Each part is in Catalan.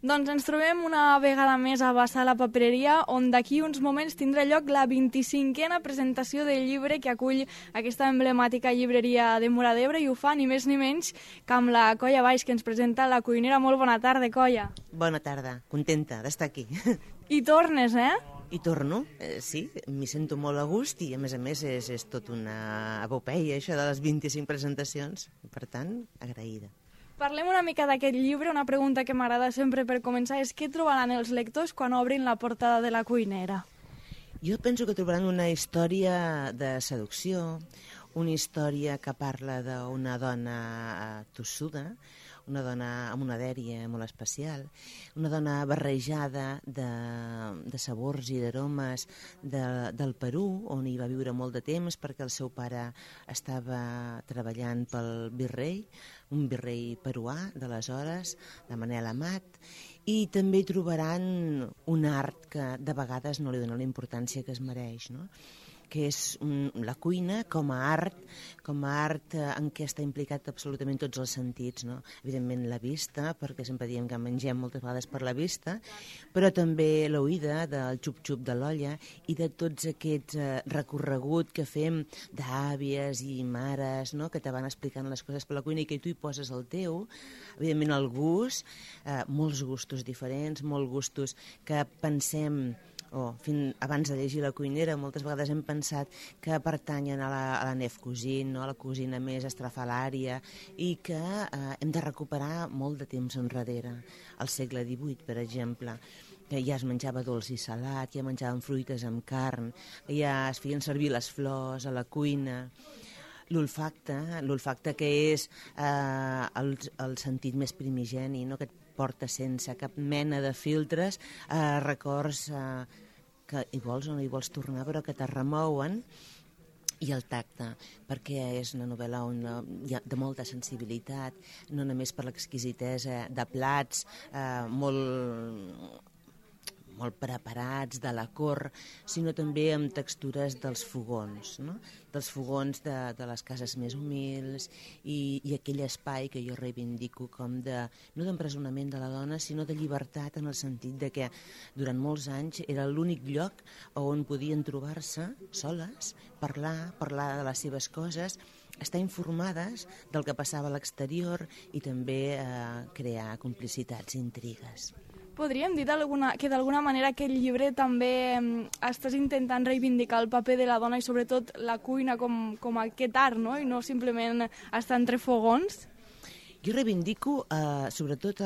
Doncs ens trobem una vegada més a Bassar la Papereria, on d'aquí uns moments tindrà lloc la 25a presentació del llibre que acull aquesta emblemàtica llibreria de Móra d'Ebre, i ho fa ni més ni menys que amb la Colla Baix, que ens presenta la cuinera. Molt bona tarda, Colla. Bona tarda, contenta d'estar aquí. I tornes, eh? I torno, sí, m'hi sento molt a gust i a més és tot una epopeia això de les 25 presentacions, per tant, agraïda. Parlem una mica d'aquest llibre. Una pregunta que m'agrada sempre per començar és què trobaran els lectors quan obrin la portada de la cuinera? Jo penso que trobaran una història de seducció, una història que parla d'una dona tossuda, una dona amb una dèria molt especial, una dona barrejada de sabors i d'aromes del Perú, on hi va viure molt de temps perquè el seu pare estava treballant pel virrei, un virrei peruà d'aleshores, de Manel Amat, i també hi trobaran un art que de vegades no li dona la importància que es mereix, no? Que és la cuina com a art en què està implicat absolutament tots els sentits, no? Evidentment la vista, perquè sempre diem que mengem moltes vegades per la vista, però també l'oïda del xup-xup de l'olla i de tots aquests recorregut que fem d'àvies i mares, no? Que te van explicant les coses per la cuina i que tu hi poses el teu. Evidentment el gust, molts gustos diferents, molts gustos que pensem abans de llegir La cuinera, moltes vegades hem pensat que pertanyen a la Nef Cuisine, no? A la cuisina més estrafalària, i que hem de recuperar molt de temps enrere. Al segle XVIII, per exemple, que ja es menjava dolç i salat, ja menjaven fruites amb carn, ja es feien servir les flors a la cuina. L'olfacte que és el sentit més primigeni, no? Que et porta sense cap mena de filtres records que hi vols o no hi vols tornar, però que te remouen, i el tacte, perquè és una novel·la on hi ha de molta sensibilitat, no només per l'exquisitesa de plats molt preparats, de la cort, sinó també amb textures dels fogons, no? Dels fogons de les cases més humils i aquell espai que jo reivindico com no d'empresonament de la dona, sinó de llibertat, en el sentit de que durant molts anys era l'únic lloc on podien trobar-se soles, parlar de les seves coses, estar informades del que passava a l'exterior i també crear complicitats i intrigues. Podríem dir que d'alguna manera aquest llibre també estàs intentant reivindicar el paper de la dona i sobretot la cuina com aquest art, no? I no simplement estar entre fogons? Jo reivindico sobretot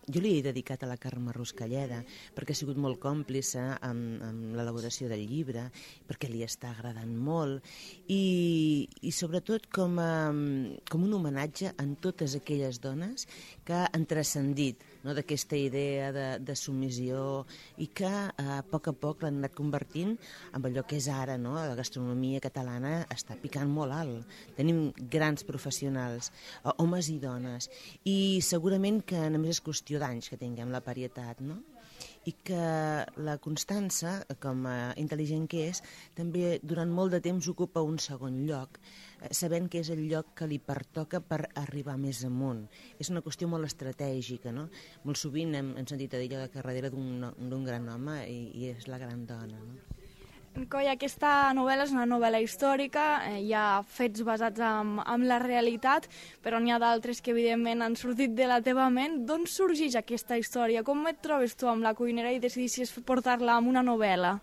jo li he dedicat a la Carme Ruscalleda perquè ha sigut molt còmplice amb l'elaboració del llibre, perquè li està agradant molt i sobretot com un homenatge a totes aquelles dones que han transcendit, no, d'aquesta idea de submissió i que a poc l'han anat convertint en allò que és ara, no? La gastronomia catalana està picant molt alt. Tenim grans professionals, homes i dones, i segurament que només és qüestió d'anys que tinguem la varietat, no? I que la Constança, com a intel·ligent que és, també durant molt de temps ocupa un segon lloc, sabent que és el lloc que li pertoca per arribar més amunt. És una qüestió molt estratègica, no? Molt sovint hem sentit a dir allò que darrere d'un gran home i és la gran dona, no? Colla, aquesta novel·la és una novel·la històrica, hi ha fets basats en la realitat, però n'hi ha d'altres que evidentment han sortit de la teva ment. D'on sorgeix aquesta història? Com et trobes tu amb La cuinera i decidissis portar-la amb una novel·la?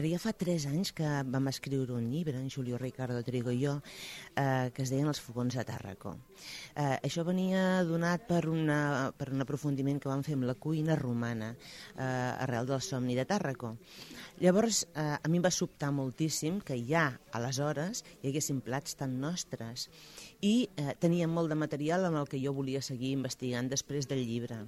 Ja fa 3 anys que vam escriure un llibre, en Julio Ricardo Trigo i jo, que es deien Els fogons de Tàrraco. Això venia donat per un aprofundiment que vam fer amb la cuina romana arrel del somni de Tàrraco. Llavors, a mi em va sobtar moltíssim que ja, aleshores, hi haguessin plats tan nostres i teníem molt de material amb el que jo volia seguir investigant després del llibre.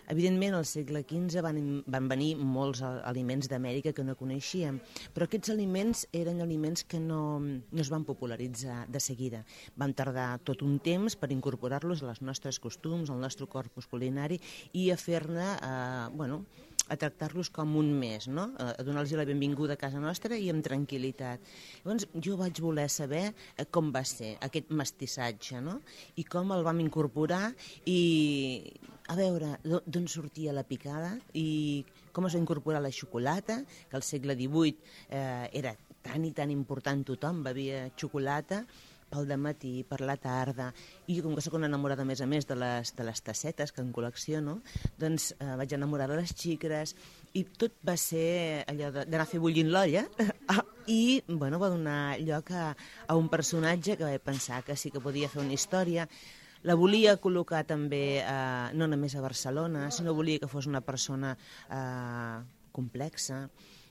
Evidentment, al segle XV van venir molts aliments d'Amèrica que no coneixíem, però aquests aliments eren aliments que no es van popularitzar de seguida. Vam tardar tot un temps per incorporar-los als nostres costums, al nostre corpus culinari i a fer-ne a tractar-los com un més, no? A donar-los la benvinguda a casa nostra i amb tranquil·litat. Llavors jo vaig voler saber com va ser aquest mestissatge, no? I com el vam incorporar i a veure d'on sortia la picada i com es va incorporar la xocolata, que al segle XVIII era tan i tan important, tothom bevia xocolata pel dematí, per la tarda, i com que sóc una enamorada a més de les tassetes que en col·lecciono, doncs vaig enamorar de les xicres i tot va ser allò d'anar a fer bullint l'olla i bueno, va donar lloc a un personatge que vaig pensar que sí que podia fer una història. La volia col·locar també no només a Barcelona, sinó volia que fos una persona complexa,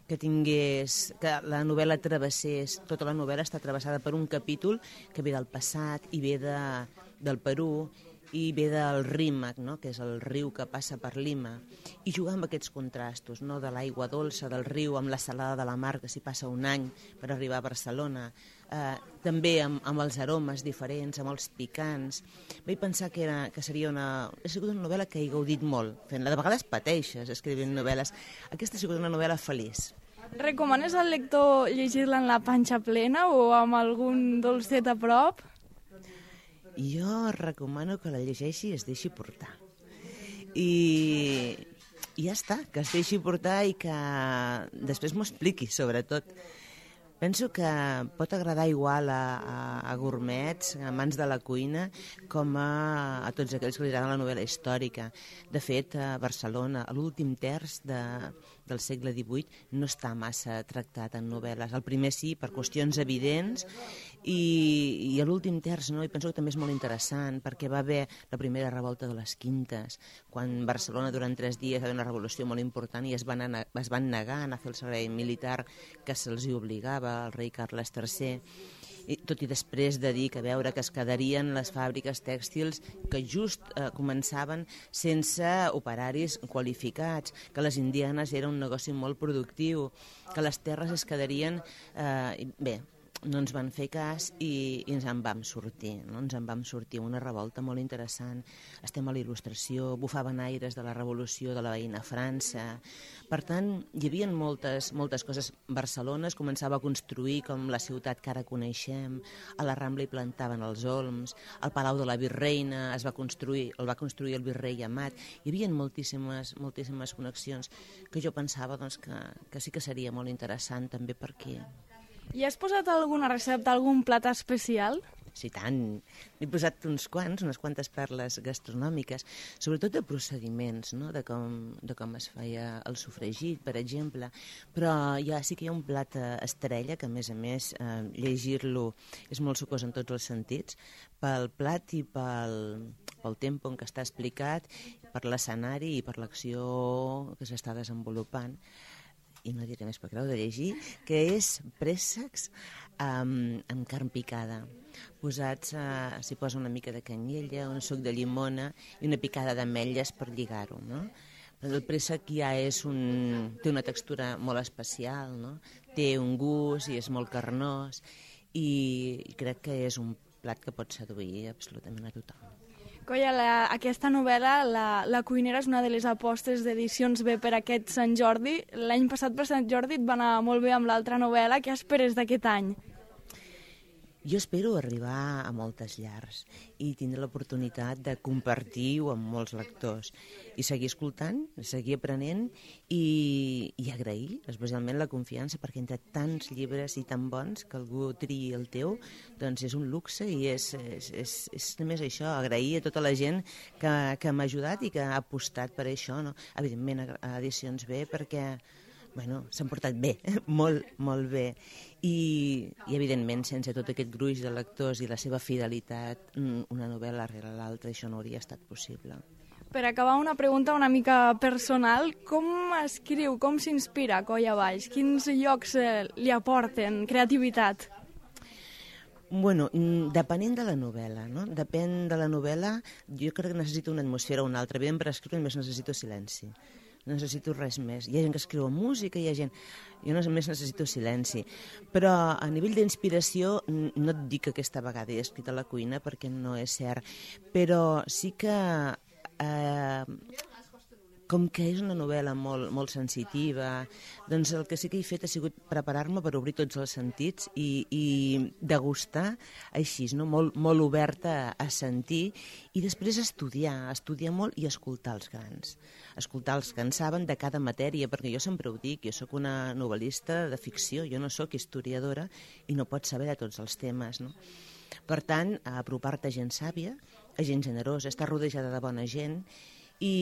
que la novel·la travessés, tota la novel·la està travessada per un capítol que ve del passat i ve del Perú i ve del Rímac, no? Que és el riu que passa per Lima, i jugar amb aquests contrastos, no? De l'aigua dolça del riu amb la salada de la mar, que s'hi passa un any per arribar a Barcelona, també amb els aromes diferents, amb els picants. Vaig pensar que seria ha sigut una novel·la que he gaudit molt fent-la. De vegades pateixes escrivint novel·les. Aquesta ha sigut una novel·la feliç. Recomanes al lector llegir-la en la panxa plena o amb algun dolcet a prop? Jo recomano que la llegeixi i es deixi portar. I ja està, que es deixi portar i que després m'ho expliqui, sobretot. Penso que pot agradar igual a gourmets, a amants de la cuina, com a tots aquells que li agraden la novel·la històrica. De fet, a Barcelona, a l'últim terç del segle XVIII no està massa tractat en novel·les. El primer sí, per qüestions evidents, i a l'últim terç no, i penso que també és molt interessant, perquè va haver la primera revolta de les Quintes, quan Barcelona durant 3 dies va haver una revolució molt important i es van negar a anar a fer el servei militar que se'ls hi obligava el rei Carles III, tot i després de dir que veure que es quedarien les fàbriques tèxtils que just començaven sense operaris qualificats, que les indianes era un negoci molt productiu, que les terres es quedarien... Bé, no ens van fer cas i ens en vam sortir, no? Ens en vam sortir, una revolta molt interessant. Estem a la Il·lustració, bufaven aires de la revolució de la veïna França. Per tant, hi havia moltes coses. Barcelona es començava a construir com la ciutat que ara coneixem, a la Rambla hi plantaven els olms, el Palau de la Virreina el va construir el virrei Amat. Hi havia moltíssimes connexions que jo pensava doncs, que sí que seria molt interessant també per aquí. I has posat alguna recepta, algun plat especial? Sí, tant. N'he posat unes quantes perles gastronòmiques, sobretot de procediments, no? de com es feia el sofregit, per exemple. Però sí que hi ha un plat estrella, que a més, llegir-lo és molt sucós en tots els sentits, pel plat i pel tempo en què està explicat, per l'escenari i per l'acció que s'està desenvolupant. I no diré més perquè l'heu de llegir, que és préssecs amb carn picada. S'hi posa una mica de canyella, un suc de llimona i una picada d'ametlles per lligar-ho, no? El préssec ja té una textura molt especial, no? Té un gust i és molt carnós i crec que és un plat que pot seduir absolutament a tothom. Colla, aquesta novel·la, la cuinera, és una de les apostes d'Edicions B per aquest Sant Jordi. L'any passat per Sant Jordi et va anar molt bé amb l'altra novel·la. Què esperes d'aquest any? Jo espero arribar a moltes llars i tindre l'oportunitat de compartir-ho amb molts lectors i seguir escoltant, seguir aprenent i agrair especialment la confiança, perquè entre tants llibres i tan bons que algú triï el teu, doncs és un luxe i és només això, agrair a tota la gent que m'ha ajudat i que ha apostat per això, no? Evidentment a Edicions B, perquè s'han portat bé, molt, molt bé. I evidentment, sense tot aquest gruix de lectors i la seva fidelitat, una novel·la rere l'altra, això no hauria estat possible. Per acabar, una pregunta una mica personal. Com escriu, com s'inspira Coll Abaix? Quins llocs li aporten creativitat? Bueno, depenent de la novel·la, no? Depèn de la novel·la, jo crec que necessito una atmosfera o una altra. Evidentment, per escriure només necessito silenci. No necessito res més. Hi ha gent que escriu música, jo només necessito silenci. Però a nivell d'inspiració no et dic que aquesta vegada he escrit a la cuina perquè no és cert, però sí que com que és una novel·la molt sensitiva, doncs el que sí que he fet ha sigut preparar-me per obrir tots els sentits i degustar així, no? molt oberta a sentir, i després estudiar molt i escoltar els grans. Escoltar els que en saben de cada matèria, perquè jo sempre ho dic, jo sóc una novel·lista de ficció, jo no sóc historiadora i no pots saber de tots els temes, no? Per tant, apropar-te a gent sàvia, a gent generosa, estar rodejada de bona gent i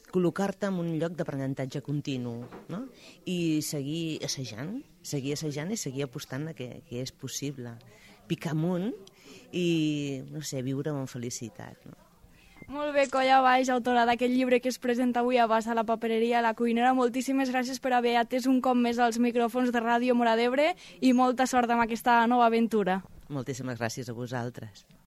col·locar-te en un lloc d'aprenentatge continu, no? I seguir assajant i seguir apostant a que és possible. Picar amunt i, no sé, viure amb felicitat, no? Molt bé, Colla Valls, autora d'aquest llibre que es presenta avui a Bassa, la papereria, la cuinera. Moltíssimes gràcies per haver atès un cop més als micròfons de Ràdio Móra d'Ebre i molta sort amb aquesta nova aventura. Moltíssimes gràcies a vosaltres.